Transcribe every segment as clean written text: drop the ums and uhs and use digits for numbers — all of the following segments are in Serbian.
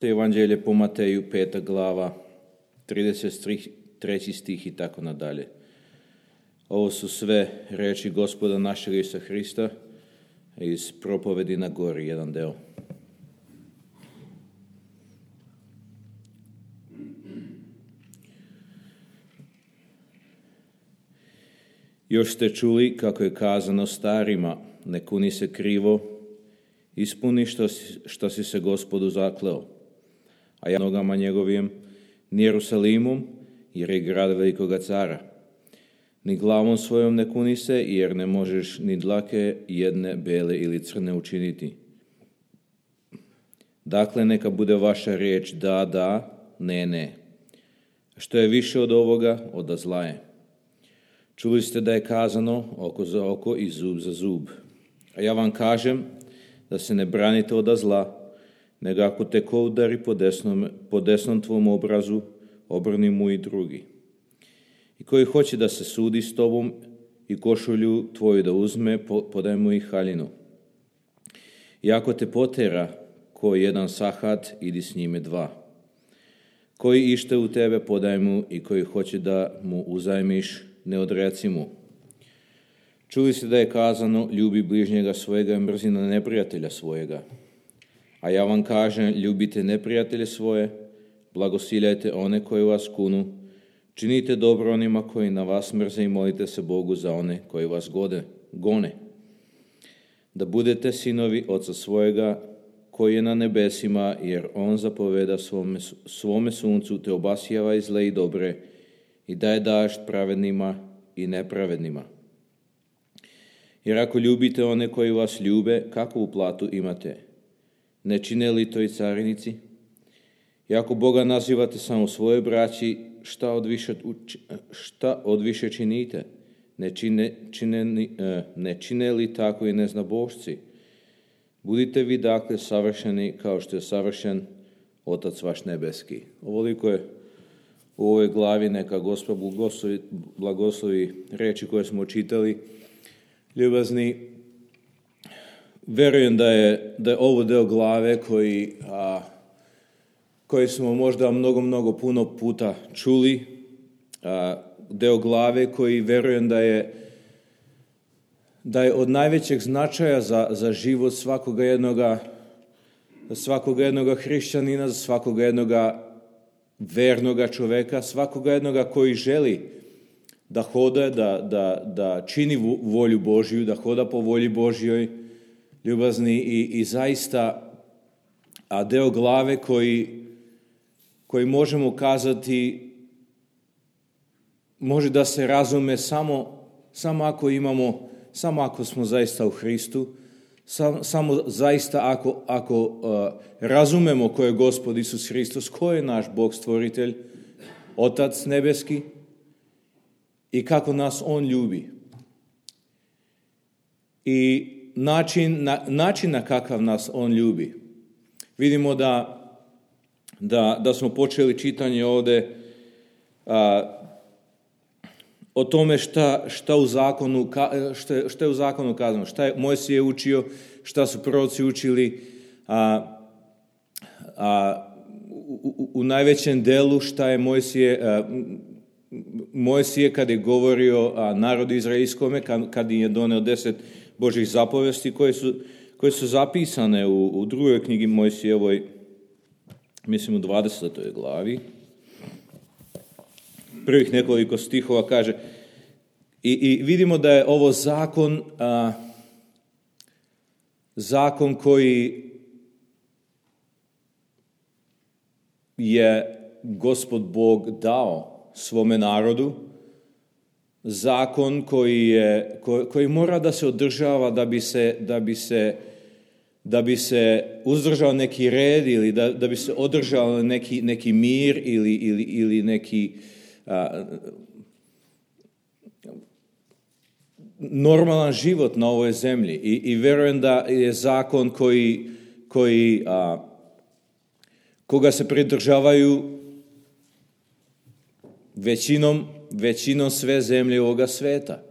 Evanđelje po Mateju, 5. glava, 33. stih i tako nadalje. Ovo su sve reči Gospoda našeg Isusa Hrista iz propovedi na gori, jedan deo. Još ste čuli kako je kazano starima, ne kuni se krivo, ispuni što si se Gospodu zakleo. A ja nogama njegovim, ni Jerusalimom, jer je grad velikoga cara. Ni glavom svojom ne kuni se, jer ne možeš ni dlake jedne bele ili crne učiniti. Dakle, neka bude vaša riječ da, da, ne, ne. Što je više od ovoga, od zla je. Čuli ste da je kazano oko za oko i zub za zub. A ja vam kažem da se ne branite od zla, nego ako te ko udari po desnom tvom obrazu, obrni mu i drugi. I koji hoće da se sudi s tobom i košulju tvoju da uzme, podaj mu i haljinu. I ako te potera ko jedan sahat, idi s njime dva. Koji ište u tebe, podaj mu, i koji hoće da mu uzajmiš, ne odreci mu. Čuli ste da je kazano, ljubi bližnjega svojega i mrzi na neprijatelja svojega. A ja vam kažem, ljubite neprijatelje svoje, blagosiljajte one koji vas kunu, činite dobro onima koji na vas mrze i molite se Bogu za one koji vas gone. Da budete sinovi Oca svojega koji je na nebesima, jer on zapoveda svome suncu te obasjava i zle i dobre i daje dašt pravednima i nepravednima. Jer ako ljubite one koji vas ljube, kakvu platu imate? Ne čine li to i carinici? I ako Boga nazivate samo svoje braći, šta odviše činite? Ne čine li tako i neznabošci? Budite vi dakle savršeni kao što je savršen Otac vaš nebeski. Ovoliko je u ovoj glavi, neka Gospod blagoslovi reči koje smo čitali. Ljubazni, verujem da je ovo deo glave koji smo možda mnogo puno puta čuli. Deo glave koji verujem da je od najvećeg značaja za život svakoga jednoga hrišćanina, za svakoga jednoga vernoga čoveka, svakoga jednoga koji želi da hoda, da čini volju Božju, da hoda po volji Božjoj, ljubazni, i zaista deo glave koji možemo kazati može da se razume samo ako smo zaista u Hristu, samo zaista ako razumemo ko je Gospod Isus Hristos, ko je naš Bog stvoritelj, Otac nebeski, i kako nas On ljubi. I način na kakav nas On ljubi. Vidimo da smo počeli čitanje ovde o tome šta u zakonu, šta je u zakonu kazano, šta je Mojsije učio, šta su proroci učili, u najvećem delu šta je Mojsije kad je govorio narodu izraelskome, kad im je doneo 10 Božjih zapovesti koje su zapisane u drugoj knjigi Mojsijevoj, mislim u 20. glavi. Prvih nekoliko stihova kaže, i vidimo da je ovo zakon koji je Gospod Bog dao svome narodu, zakon koji mora da se održava da bi se uzdržao neki red ili da bi se održao neki mir ili neki normalan život na ovoj zemlji. I verujem da je zakon koga se pridržavaju većinom sve zemlje ovoga sveta.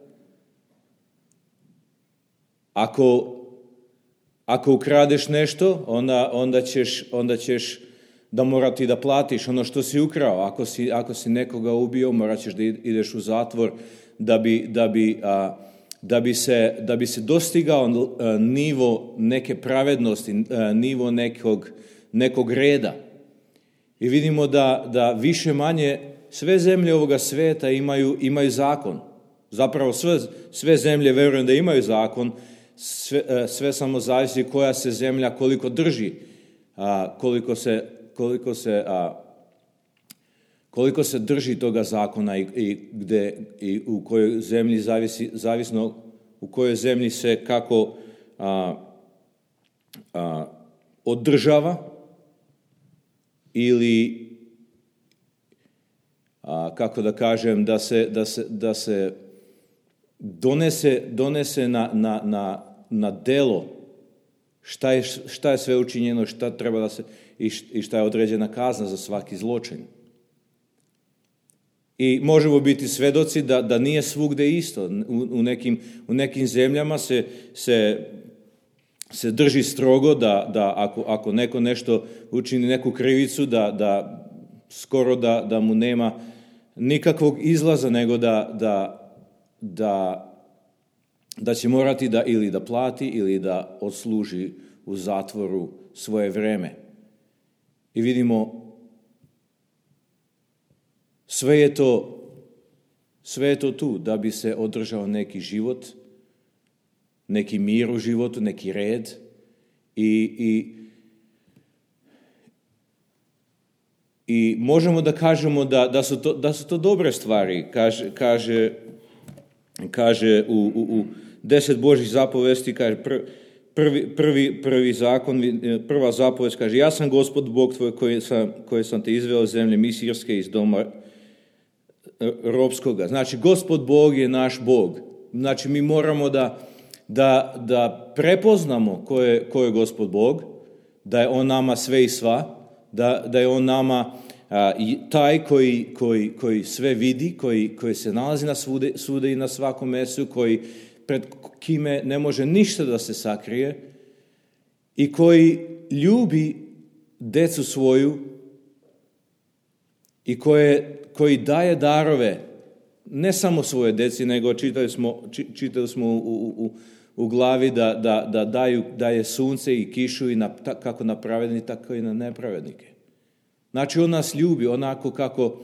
Ako ukradeš nešto, onda ćeš da mora ti da platiš ono što si ukrao. Ako si nekoga ubio, morat ćeš da ideš u zatvor da bi se dostigao nivo neke pravednosti, nivo nekog reda. I vidimo da više manje sve zemlje ovoga sveta imaju zakon. Zapravo sve zemlje, verujem da imaju zakon, sve samo zavisi koja se zemlja koliko drži, koliko se drži toga zakona i u kojoj zemlji zavisno u kojoj zemlji se kako održava ili kako da kažem da se donese na delo šta je sve učinjeno, šta treba da se i šta je određena kazna za svaki zločin. I možemo biti svedoci da nije svugde isto. U nekim zemljama se drži strogo da ako neko nešto učini, neku krivicu, da skoro da mu nema nikakvog izlaza, nego da će morati ili da plati ili da odsluži u zatvoru svoje vreme. I vidimo, sve je to tu da bi se održao neki život, neki mir u životu, neki red i možemo da kažemo da su to dobre stvari. Kaže u 10 Božjih zapovesti, kaže prvi zakon, prva zapovest kaže: ja sam Gospod Bog tvoj koji sam te izveo iz zemlje misirske, iz doma ropskoga. Znači, Gospod Bog je naš Bog. Znači, mi moramo da prepoznamo ko je Gospod Bog, da je On nama sve i sva, da je On nama taj koji sve vidi, koji se nalazi na svude i na svakom mjestu, koji pred kime ne može ništa da se sakrije i koji ljubi decu svoju i koji daje darove ne samo svoje deci, nego čitali smo u glavi da daje sunce i kišu i kako na pravednike, tako i na nepravednike. Znači, On nas ljubi onako kako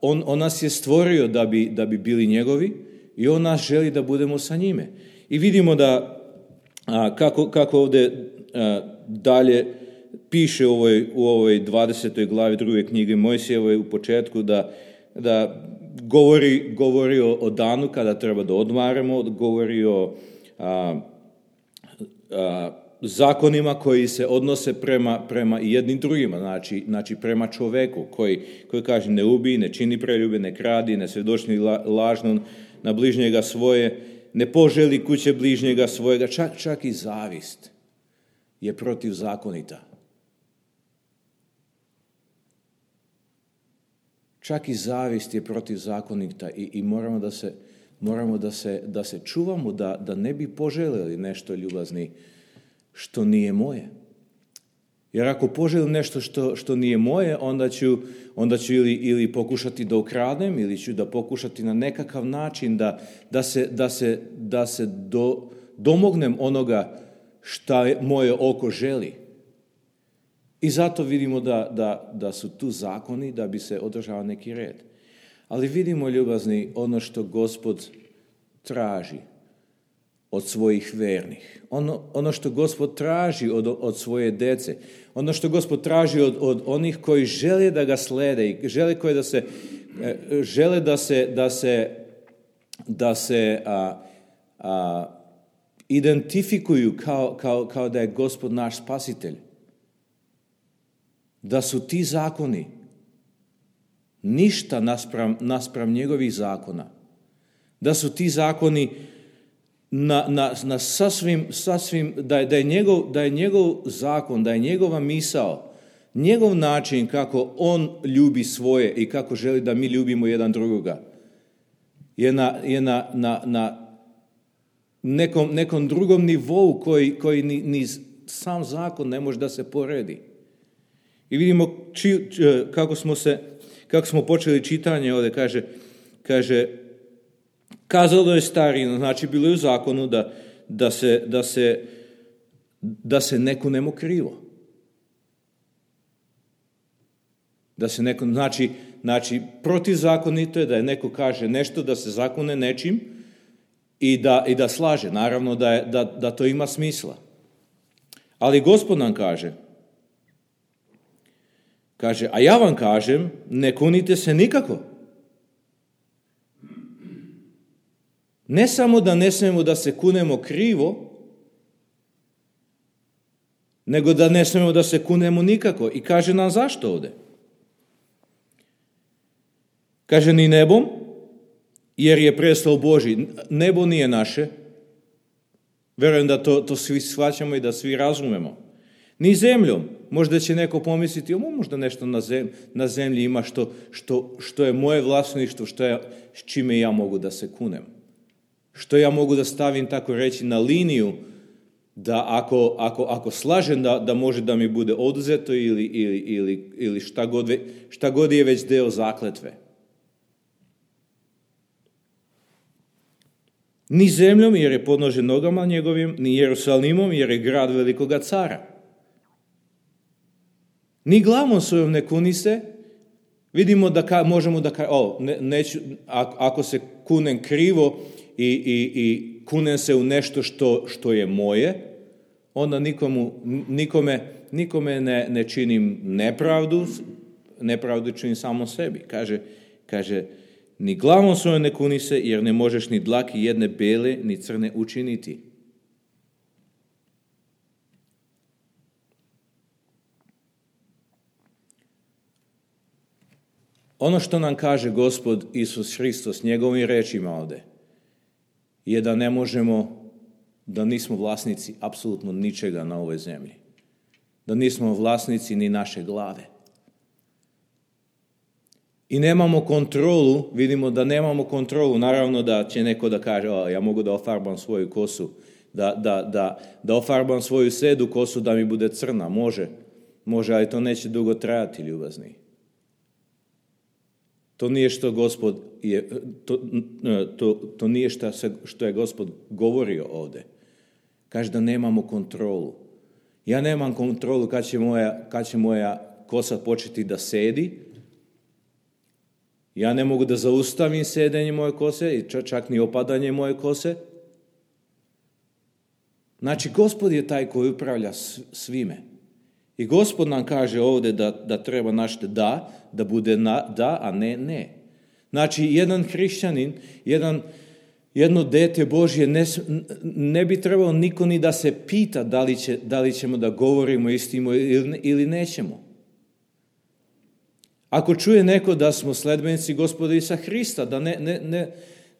on nas je stvorio da bi bili njegovi i On nas želi da budemo sa njime. I vidimo da kako ovdje dalje piše u ovoj 20. glavi 2. knjige Mojsijevoj u početku da govori o danu kada treba da odmaramo, govori o zakonima koji se odnose prema jednim drugima, znači prema čoveku koji kaže ne ubij, ne čini preljube, ne kradi, ne svjedoči lažno na bližnjega svoje, ne poželi kuće bližnjega svojega, čak i zavist je protivzakonita. Čak i zavist je protivzakonita i moramo da se čuvamo da ne bi poželjeli nešto, ljubazni, što nije moje. Jer ako poželim nešto što nije moje, onda ću ili pokušati da ukradem, ili ću da pokušati na nekakav način da se domognem onoga šta moje oko želi. I zato vidimo da su tu zakoni da bi se održao neki red. Ali vidimo, ljubazni, ono što Gospod traži od svojih vernih. Ono što Gospod traži od svoje dece. Ono što Gospod traži od onih koji žele da ga slede i žele da se identifikuju kao da je Gospod naš spasitelj. Da su ti zakoni ništa naspram njegovih zakona. Da su ti zakoni na sasvim da je njegov zakon, da je njegova misao, njegov način kako on ljubi svoje i kako želi da mi ljubimo jedan drugoga je na nekom drugom nivou koji ni sam zakon ne može da se poredi. I vidimo kako smo počeli čitanje ovdje, kaže kazalo je starino, znači bilo je u zakonu da se ne kunemo krivo. Da se neko, znači protizakonito je da je neko kaže nešto, da se zakune nečim i da slaže. Naravno da to ima smisla. Ali Gospod nam kaže, a ja vam kažem, ne kunite se nikako. Ne samo da ne smijemo da se kunemo krivo, nego da ne smijemo da se kunemo nikako. I kaže nam zašto ovdje? Kaže ni nebom, jer je prestol Božji. Nebo nije naše. Verujem da to svi shvaćamo i da svi razumemo. Ni zemljom. Možda će neko pomisliti, možda nešto na zemlji ima što je moje vlasništvo, s čime ja mogu da se kunem. Što ja mogu da stavim, tako reći, na liniju, da ako slažem da može da mi bude oduzeto ili šta god je već deo zakletve. Ni zemljom, jer je podnožen nogama njegovim, ni Jerusalimom, jer je grad velikoga cara. Ni glavom svojom ne kuni se. Vidimo da možemo da ako se kunem krivo i kunem se u nešto što je moje, onda nikome ne činim nepravdu činim samo sebi. Kaže, ni glavom svojom ne kuni se, jer ne možeš ni dlaki jedne bele, ni crne učiniti. Ono što nam kaže Gospod Isus Hristos njegovim rečima ovdje je da ne možemo, da nismo vlasnici apsolutno ničega na ovoj zemlji. Da nismo vlasnici ni naše glave. I nemamo kontrolu, vidimo da nemamo kontrolu, naravno da će neko da kaže, ja mogu da ofarbam svoju kosu, da ofarbam svoju sedu kosu da mi bude crna, može, ali to neće dugo trajati, ljubazni. To nije što Gospod je, to nije što je Gospod govorio ovdje. Kaže da nemamo kontrolu. Ja nemam kontrolu kad će moja kosa početi da sedi. Ja ne mogu da zaustavim sedenje moje kose i čak ni opadanje moje kose. Znači, Gospod je taj koji upravlja svime. I Gospod nam kaže ovdje da treba naš da bude da, a ne. Znači, jedan hrišćanin, jedno dete Božje ne bi trebalo niko ni da se pita da li ćemo da govorimo istinu ili nećemo. Ako čuje neko da smo sledbenici Gospoda Isusa Hrista, da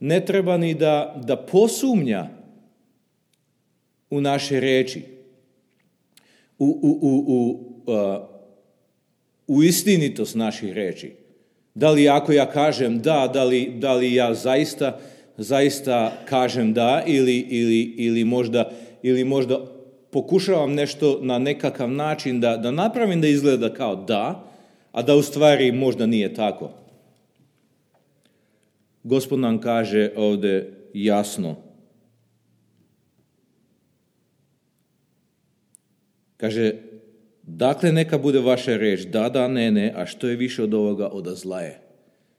ne treba ni da posumnja u naše reči, u istinitost naših reči. Da li ako ja kažem da li ja zaista kažem da ili možda pokušavam nešto na nekakav način da napravim da izgleda kao da, a da u stvari možda nije tako. Gospod nam kaže ovdje jasno. Kaže, dakle neka bude vaša reč, da, ne, a što je više od ovoga, od zla je.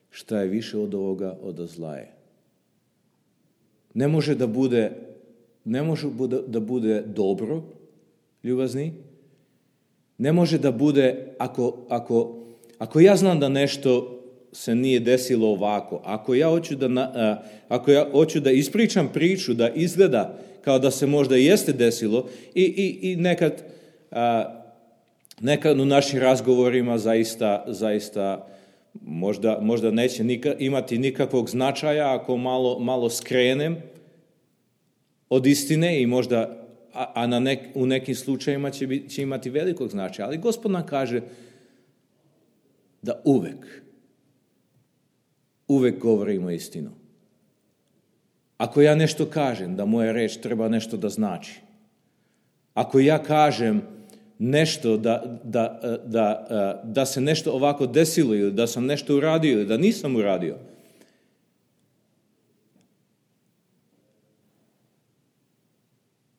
Šta je više od ovoga, od zla je. Ne može da bude dobro, ljubazni. Ne može da bude, ako ja znam da nešto se nije desilo ovako, ako ja hoću da ispričam priču, da izgleda kao da se možda jeste desilo i nekad u našim razgovorima zaista možda neće imati nikakvog značaja ako malo skrenem od istine i možda u nekim slučajima će imati velikog značaja. Ali Gospod nam kaže da uvek govorimo istinu. Ako ja nešto kažem, da moja reč treba nešto da znači. Ako ja kažem nešto, da se nešto ovako desilo ili da sam nešto uradio ili da nisam uradio.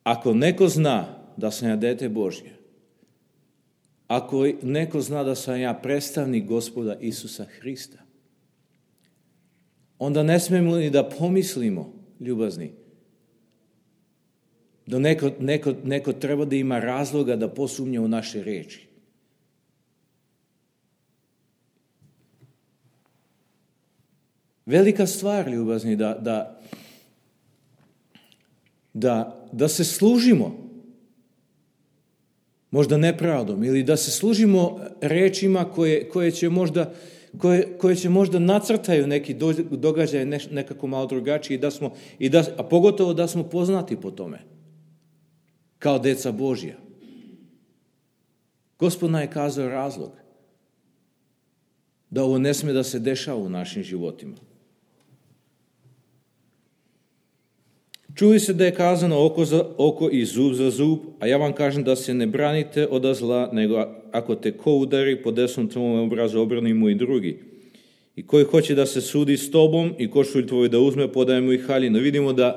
Ako neko zna da sam ja dete Božje, ako neko zna da sam ja predstavnik Gospoda Isusa Hrista, onda ne smemo ni da pomislimo, ljubazni, da neko treba da ima razloga da posumnja u naše reči. Velika stvar, ljubazni, da se služimo možda nepravdom ili da se služimo rečima koje će možda nacrtaju neki događaj nekako malo drugačiji, a pogotovo da smo poznati po tome, kao deca Božja. Gospod nam je kazao razlog da ovo ne sme da se dešava u našim životima. Čuli se da je kazano oko za oko i zub za zub, a ja vam kažem da se ne branite od zla, nego ako te ko udari po desnom tvome obrazu, obrni mu i drugi. I koji hoće da se sudi s tobom i košulj tvoj da uzme, podaj mu i haljinu. Vidimo da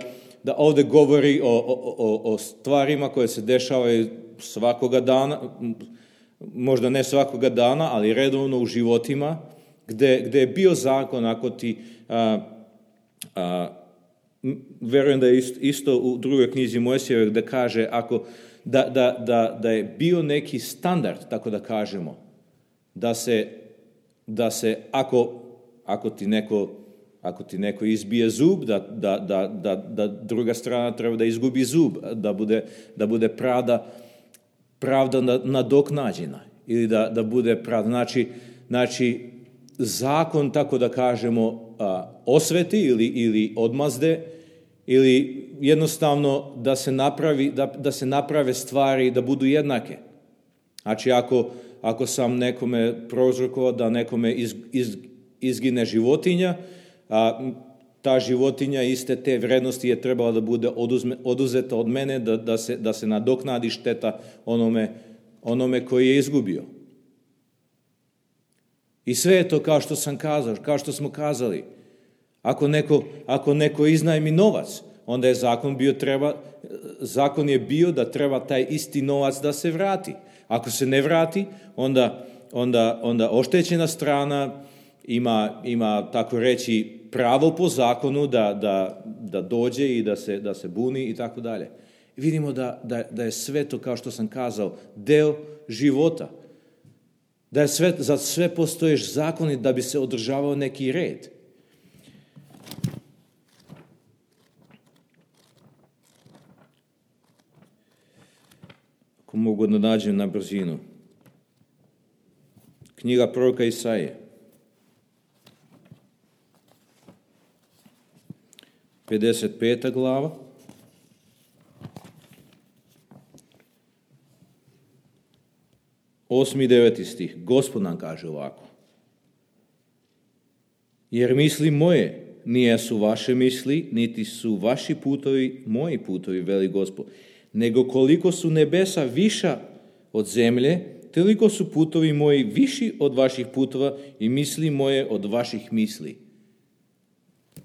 ovdje govori o stvarima koje se dešavaju svakoga dana, možda ne svakoga dana, ali redovno u životima, gdje je bio zakon, ako ti... Verujem da je isto u drugoj knjizi Mojsijeve gdje kaže da je bio neki standard, tako da kažemo, da se ako ti neko izbije zub, da druga strana treba da izgubi zub, da bude pravda nadoknađena ili da bude pravda. Znači zakon, tako da kažemo, osveti ili odmazde, ili jednostavno da se naprave stvari da budu jednake. Znači, ako sam nekome prouzrokovao da nekome izgine životinja, ta životinja iste te vrednosti je trebala da bude oduzeta od mene, da se nadoknadi šteta onome koji je izgubio. I sve je to kao što sam kazao, kao što smo kazali. Ako neko iznajmi novac, onda je zakon je bio da treba taj isti novac da se vrati. Ako se ne vrati, onda oštećena strana ima tako reći pravo po zakonu da dođe i da se buni i tako dalje. Vidimo da je sve to, kao što sam kazao, deo života. Da je za sve postoješ zakoni da bi se održavao neki red. Ako mogu da nađem na brzinu. Knjiga proroka Isaije. 55. glava. Osmi i 9. stih. Gospod nam kaže ovako. Jer misli moje nijesu vaše misli, niti su vaši putovi moji putovi, veli Gospod. Nego koliko su nebesa viša od zemlje, toliko su putovi moji viši od vaših putova i misli moje od vaših misli.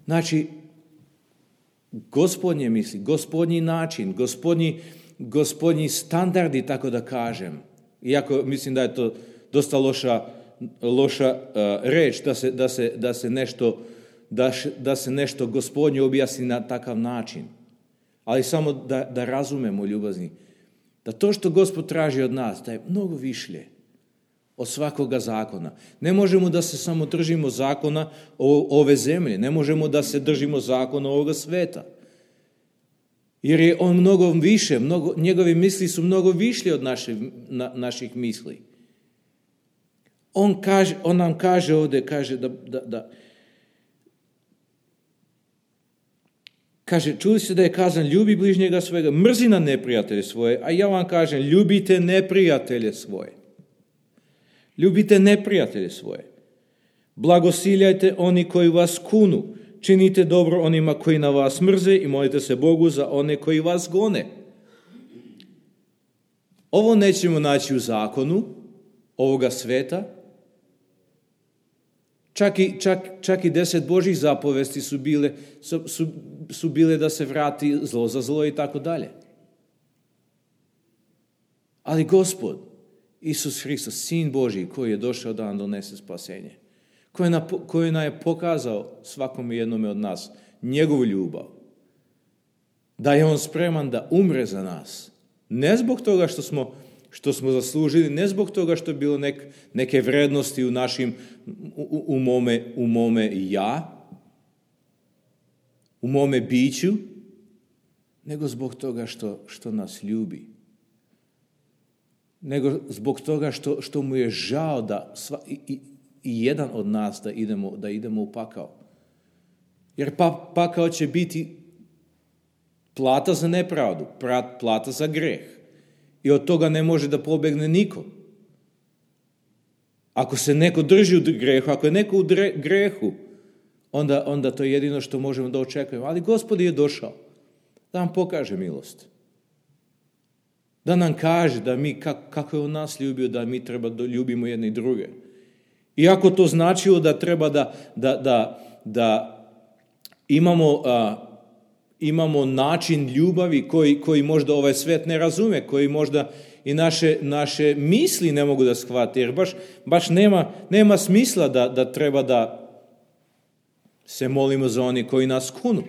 Znači, Gospodnje misli, Gospodnji način, Gospodnji standardi, tako da kažem. Iako mislim da je to dosta loša reč da se nešto Gospodnje objasni na takav način. Ali samo da razumemo, ljubazni, da to što Gospod traži od nas, da je mnogo višlje od svakoga zakona. Ne možemo da se samo držimo zakona ove zemlje, ne možemo da se držimo zakona ovoga sveta. Jer je on mnogo više, njegovi misli su mnogo višlje od naših misli. On nam kaže ovdje, kaže, čuli ste da je kazan, ljubi bližnjega svojega, mrzi na neprijatelje svoje, a ja vam kažem, ljubite neprijatelje svoje. Ljubite neprijatelje svoje. Blagosiljajte oni koji vas kunu, činite dobro onima koji na vas mrze i molite se Bogu za one koji vas gone. Ovo nećemo naći u zakonu ovoga sveta. Čak i 10 Božjih zapovesti su bile da se vrati zlo za zlo i tako dalje. Ali Gospod, Isus Hristos, Sin Božji, koji je došao da nam donese spasenje, koji nam je pokazao svakom jednome od nas njegovu ljubav, da je on spreman da umre za nas. Ne zbog toga što smo zaslužili, ne zbog toga što je bilo neke vrednosti u mome ja, u mome biću, nego zbog toga što nas ljubi. Nego zbog toga što mu je žao da i jedan od nas da idemo u pakao. Jer pakao će biti plata za nepravdu, plata za greh. I od toga ne može da pobegne niko. Ako se neko drži u grehu, ako je neko u grehu, onda to je jedino što možemo da očekujemo. Ali Gospod je došao da nam pokaže milost. Da nam kaže da mi, kako je on nas ljubio, da mi treba da ljubimo jedne i druge. Iako to značilo da treba da imamo način ljubavi koji možda ovaj svet ne razume, koji možda i naše misli ne mogu da shvate, jer baš nema smisla da treba da se molimo za oni koji nas kunu.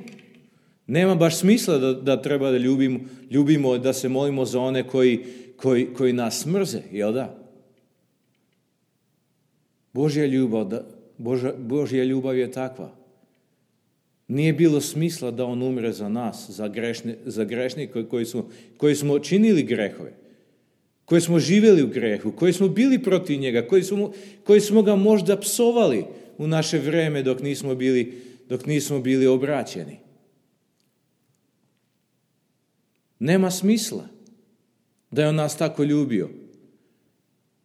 Nema baš smisla da treba da ljubimo, da se molimo za one koji nas mrze, jel da? Božja ljubav je takva. Nije bilo smisla da on umre za nas, za grešnike koji smo činili grehove, koji smo živjeli u grehu, koji smo bili protiv njega, koji smo ga možda psovali u naše vreme dok nismo bili obraćeni. Nema smisla da je on nas tako ljubio.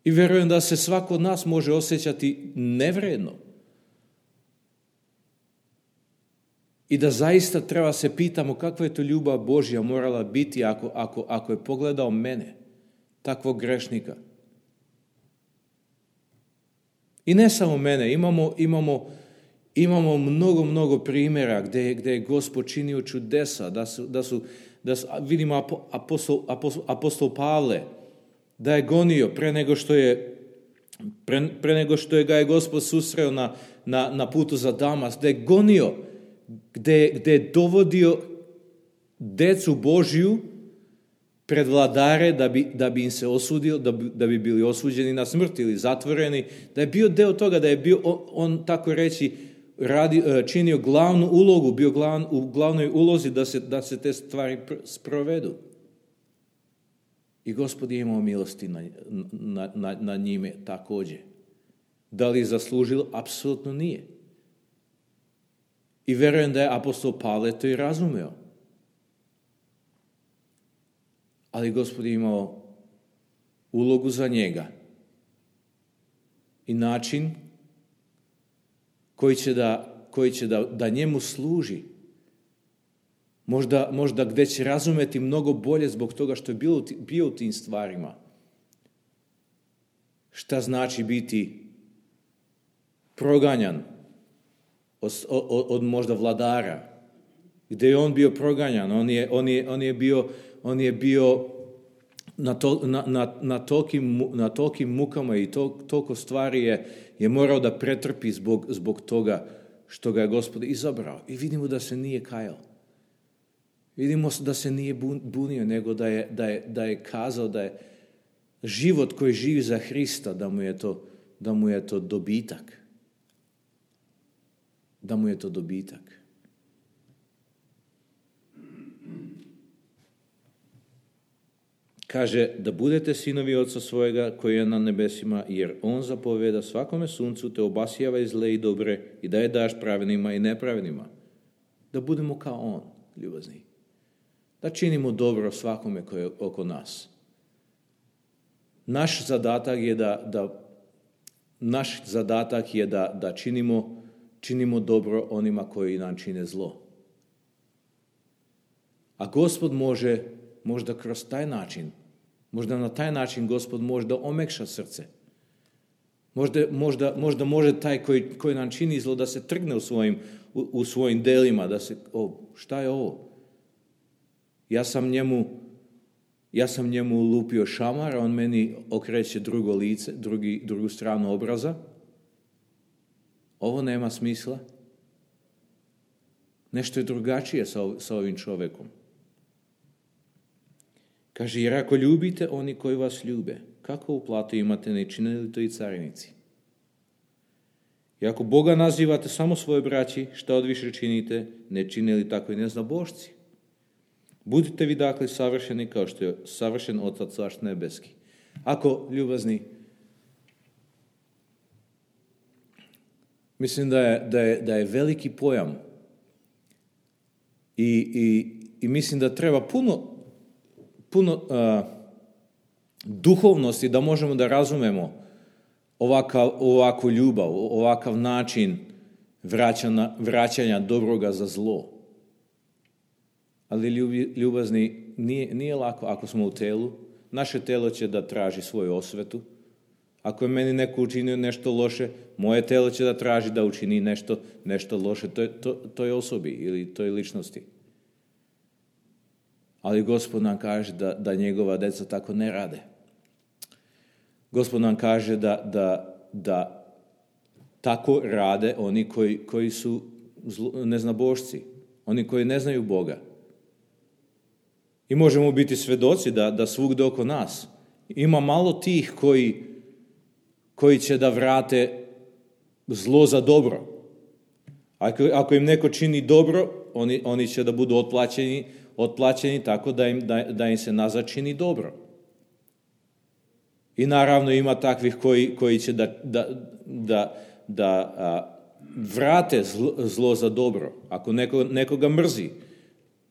I vjerujem da se svako od nas može osjećati nevredno. I da zaista treba se pitamo kakva je to ljubav Božja morala biti ako je pogledao mene, takvog grešnika. I ne samo mene, imamo mnogo primjera gdje je Gospod činio čudesa, vidimo apostol Pavle, da je gonio pre nego što ga je Gospod susreo na putu za Damas, da je gonio, gdje je dovodio decu Božju pred vladare da bi im se osudio, da bi bili osuđeni na smrt ili zatvoreni, da je bio deo toga, da je bio on tako reći činio glavnu ulogu, bio u glavnoj ulozi da se te stvari sprovedu. I Gospod je imao milosti na njime također. Da li je zaslužilo? Apsolutno nije. I vjerujem da je apostol Pavle to i razumeo. Ali Gospod je imao ulogu za njega i način koji će da njemu služi. Možda gdje će razumeti mnogo bolje zbog toga što je bio u tim stvarima. Šta znači biti proganjan od možda vladara, gdje je on bio proganjan, on je bio na tolikim mukama i toliko stvari je morao da pretrpi zbog toga što ga je Gospod izabrao. I vidimo da se nije kajao. Vidimo da se nije bunio, nego da je kazao da je život koji živi za Hrista, da mu je to dobitak. Da mu je to dobitak. Kaže da budete sinovi Oca svojega koji je na nebesima, jer on zapoveda svakome suncu te obasjava i zle i dobre i daje daš pravednima i nepravednima. Da budemo kao on, ljubazni. Da činimo dobro svakome koji je oko nas. Naš zadatak je da činimo dobro onima koji nam čine zlo. A Gospod može možda kroz taj način Možda na taj način Gospod može da omekša srce. Možda može taj koji nam čini zlo da se trgne u svojim delima, da se, šta je ovo? Ja sam njemu lupio šamar, a on meni okreće drugo lice, drugu stranu obraza. Ovo nema smisla. Nešto je drugačije sa ovim čovjekom. Kaže, jer ako ljubite oni koji vas ljube, kako u platu imate, ne čine li to i carinici? I ako Boga nazivate samo svoje braći, šta odviše činite, ne čine li tako i neznabošci? Budite vi dakle savršeni kao što je savršen Otac vaš nebeski. Ako, ljubazni, mislim da je veliki pojam i mislim da treba puno duhovnosti da možemo da razumemo ovakvu ljubav, ovakav način vraćanja dobroga za zlo. Ali ljubazni, nije lako ako smo u telu. Naše telo će da traži svoju osvetu. Ako je meni neko učinio nešto loše, moje telo će da traži da učini nešto loše toj osobi ili toj ličnosti. Ali Gospod nam kaže da njegova deca tako ne rade. Gospod nam kaže da tako rade oni koji su neznabošci, oni koji ne znaju Boga. I možemo biti svedoci da svugde oko nas ima malo tih koji će da vrate zlo za dobro. Ako im neko čini dobro, oni će da budu otplaćeni tako da im se nazad čini dobro. I naravno ima takvih koji će da vrate zlo za dobro. Ako nekoga mrzi,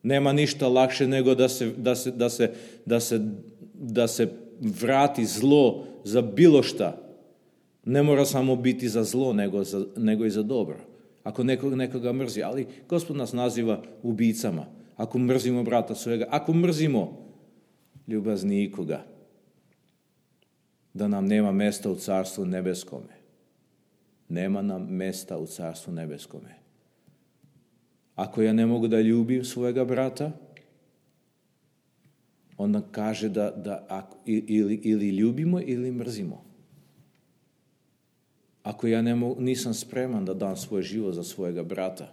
nema ništa lakše nego da se vrati zlo za bilo šta. Ne mora samo biti za zlo, nego i za dobro. Ako nekoga mrzi, ali Gospod nas naziva ubicama. Ako mrzimo brata svojega, ako mrzimo ljubazni nikoga, da nam nema mesta u Carstvu nebeskome. Nema nam mesta u Carstvu nebeskome. Ako ja ne mogu da ljubim svojega brata, onda kaže da ili ljubimo ili mrzimo. Ako ja nisam spreman da dam svoj život za svojega brata,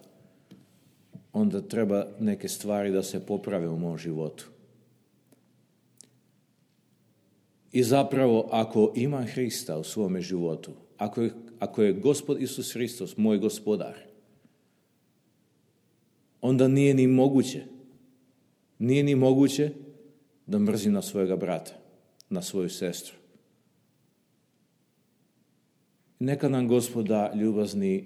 onda treba neke stvari da se poprave u mom životu. I zapravo, ako imam Hrista u svome životu, ako je Gospod Isus Hristos moj gospodar, onda nije ni moguće da mrzim na svojega brata, na svoju sestru. Neka nam Gospod da ljubazni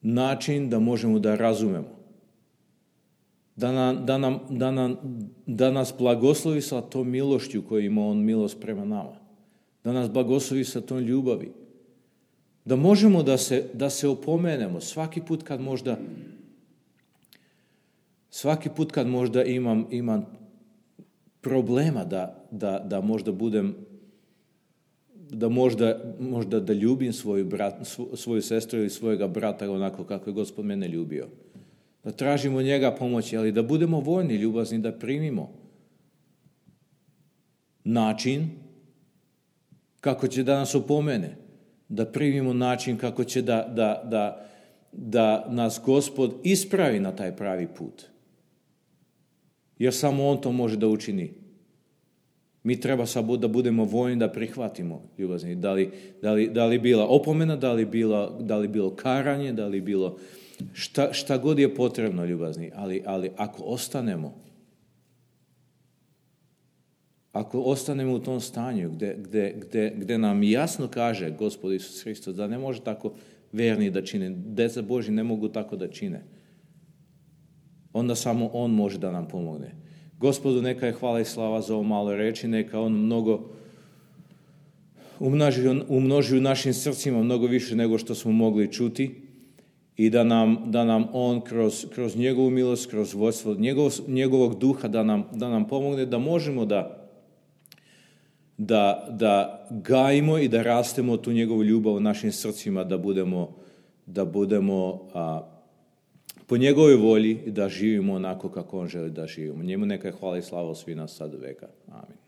način da možemo da razumemo. Da nas blagoslovi sa tom milošću koju ima on milost prema nama. Da nas blagoslovi sa tom ljubavi. Da možemo da se opomenemo svaki put kad možda imam problema da možda budem, da možda da ljubim svoju sestru ili svojega brata onako kako je Gospod mene ljubio. Da tražimo njega pomoći, ali da budemo voljni, ljubazni, da primimo način kako će da nas opomene, da primimo način kako će da nas Gospod ispravi na taj pravi put. Jer samo on to može da učini. Mi treba samo da budemo voljni da prihvatimo, ljubazni. Da li bila opomena, da li bilo karanje, da li bilo šta god je potrebno, ljubazni. Ali ako ostanemo u tom stanju gde nam jasno kaže Gospod Isus Hristos da ne može tako verni da čine, deca Božji ne mogu tako da čine, onda samo on može da nam pomogne. Gospodu neka je hvala i slava za ovo malo reči, neka on mnogo umnoži u našim srcima, mnogo više nego što smo mogli čuti i da nam on kroz njegovu milost, kroz vodstvo njegovog duha da nam pomogne da možemo da gajimo i da rastemo tu njegovu ljubav u našim srcima, da budemo po njegovoj volji i da živimo onako kako on želi da živimo. Njemu neka je hvala i slava svi nas sad do veka. Amin.